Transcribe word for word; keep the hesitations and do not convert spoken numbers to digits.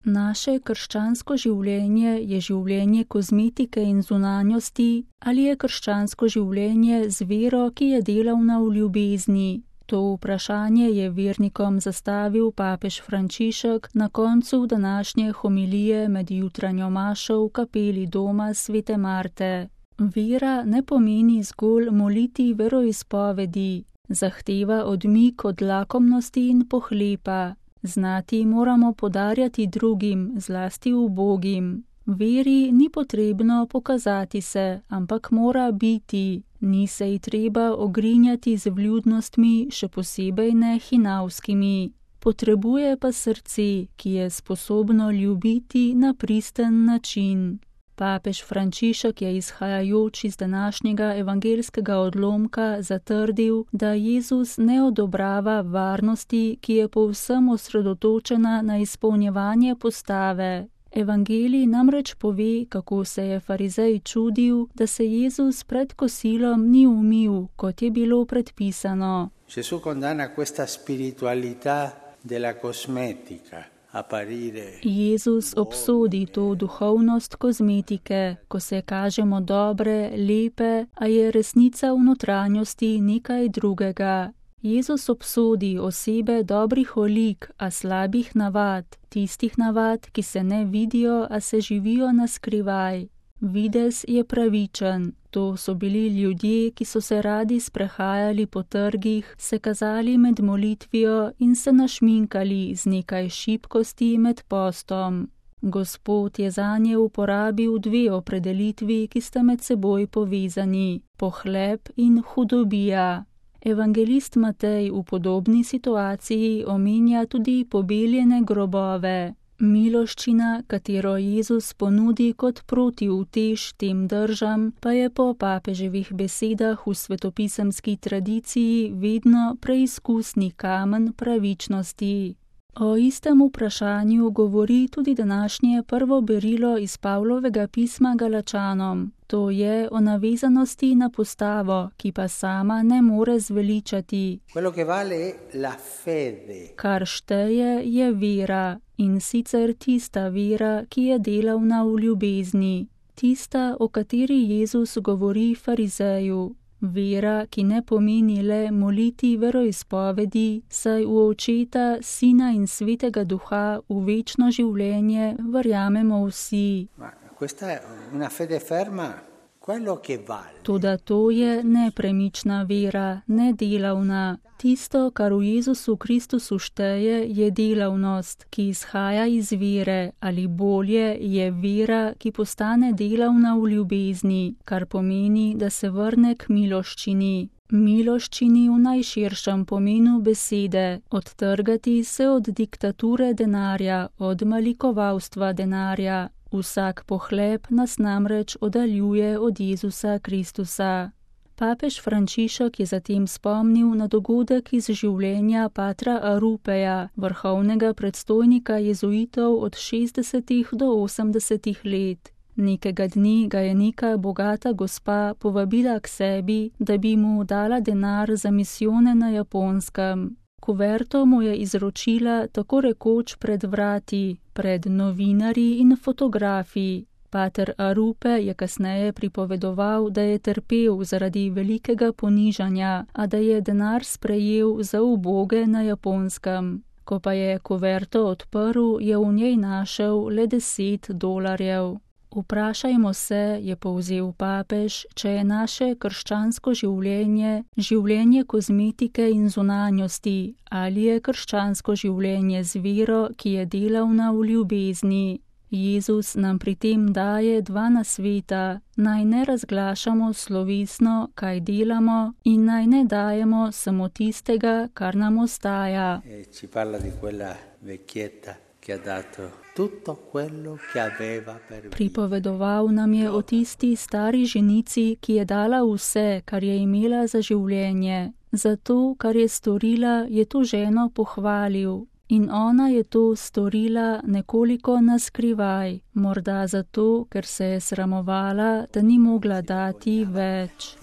Naše krščansko življenje je življenje kozmetike in zunanjosti ali je krščansko življenje z vero, ki je delavna v ljubezni? To vprašanje je vernikom zastavil papež Frančišek na koncu današnje homilije med jutranjo mašo v kapeli doma svete Marte. Vera ne pomeni zgolj moliti veroizpovedi, zahteva odmik od lakomnosti in pohlepa. Znati moramo podarjati drugim, zlasti ubogim. Veri ni potrebno pokazati se, ampak mora biti. Ni se ji treba ogrinjati z vljudnostmi, še posebej ne hinavskimi. Potrebuje pa srce, ki je sposobno ljubiti na pristen način. Papež Frančišek je izhajajoč iz današnjega evangeljskega odlomka zatrdil, da Jezus ne odobrava varnosti, ki je povsem osredotočena na izpolnjevanje postave. Evangelij namreč pove, kako se je farizej čudil, da se Jezus pred kosilom ni umil, kot je bilo predpisano. Gesù condanna questa spiritualità della cosmetica. Jezus obsodi to duhovnost kozmetike, ko se kažemo dobre, lepe, a je resnica v notranjosti nekaj drugega. Jezus obsodi osebe dobrih olik, a slabih navad, tistih navad, ki se ne vidijo, a se živijo na skrivaj. Videz je pravičen. To so bili ljudje, ki so se radi sprehajali po trgih, se kazali med molitvijo in se našminkali z nekaj šibkosti med postom. Gospod je zanje uporabil dve opredelitvi, ki sta med seboj povezani: pohlep in hudobija. Evangelist Matej v podobni situaciji omenja tudi pobeljene grobove. Miloščina, katero Jezus ponudi kot protiutež tem držam, pa je po papeževih besedah v svetopisemski tradiciji vedno preizkusni kamen pravičnosti. O istem vprašanju govori tudi današnje prvo berilo iz Pavlovega pisma Galačanom. To je o navezanosti na postavo, ki pa sama ne more zveličati. Kar šteje, je vera, in sicer tista vera, ki je delavna v ljubezni. Tista, o kateri Jezus govori farizeju. Vera, ki ne pomeni le moliti veroizpovedi, saj v Očeta, Sina in Svetega Duha v večno življenje verjamemo vsi. Toda to je nepremična vera, nedelavna. Tisto, kar v Jezusu Kristusu šteje, je delavnost, ki izhaja iz vere, ali bolje je vera, ki postane delavna v ljubezni, kar pomeni, da se vrne k miloščini. Miloščini v najširšem pomenu besede, odtrgati se od diktature denarja, od malikovalstva denarja. Vsak pohlep nas namreč oddaljuje od Jezusa Kristusa. Papež Frančišek je zatem spomnil na dogodek iz življenja patra Arupeja, vrhovnega predstojnika jezuitov od šestdesetih do osemdesetih let. Nekega dne ga je neka bogata gospa povabila k sebi, da bi mu dala denar za misijone na Japonskem. Kuverto mu je izročila tako rekoč pred vrati, pred novinarji in fotografi. Pater Arupe je kasneje pripovedoval, da je trpel zaradi velikega ponižanja, a da je denar sprejel za uboge na Japonskem. Ko pa je kuverto odprl, je v njej našel le deset dolarjev. Vprašajmo se, je povzel papež, če je naše krščansko življenje življenje kozmetike in zunanjosti, ali je krščansko življenje z vero, ki je delavna v ljubezni. Jezus nam pri tem daje dva nasveta: naj ne razglašamo slovesno, kaj delamo, in naj ne dajemo samo tistega, kar nam ostaja. Pripovedoval nam je o tisti stari ženici, ki je dala vse, kar je imela za življenje. Zato, kar je storila, je to ženo pohvalil. In ona je to storila nekoliko naskrivaj, morda zato, ker se je sramovala, da ni mogla dati več.